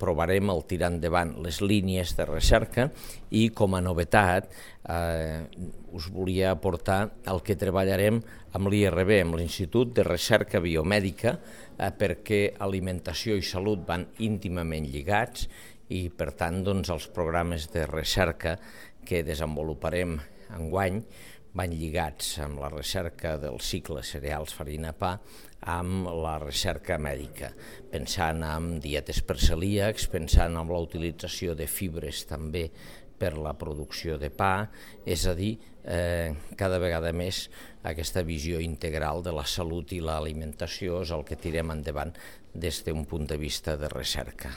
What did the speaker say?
provarem el tirar endavant les línies de recerca i, com a novetat, us volia aportar el que treballarem amb l'IRB, amb l'Institut de Recerca Biomèdica, perquè alimentació i salut van íntimament lligats i, per tant, els programes de recerca que desenvoluparem enguany van lligats amb la recerca del cicle cereals, farina, pa, amb la recerca mèdica, pensant en dietes per celíacs, pensant en la utilització de fibres també per la producció de pa, és a dir, cada vegada més aquesta visió integral de la salut i l'alimentació és el que tirem endavant des d'un punt de vista de recerca.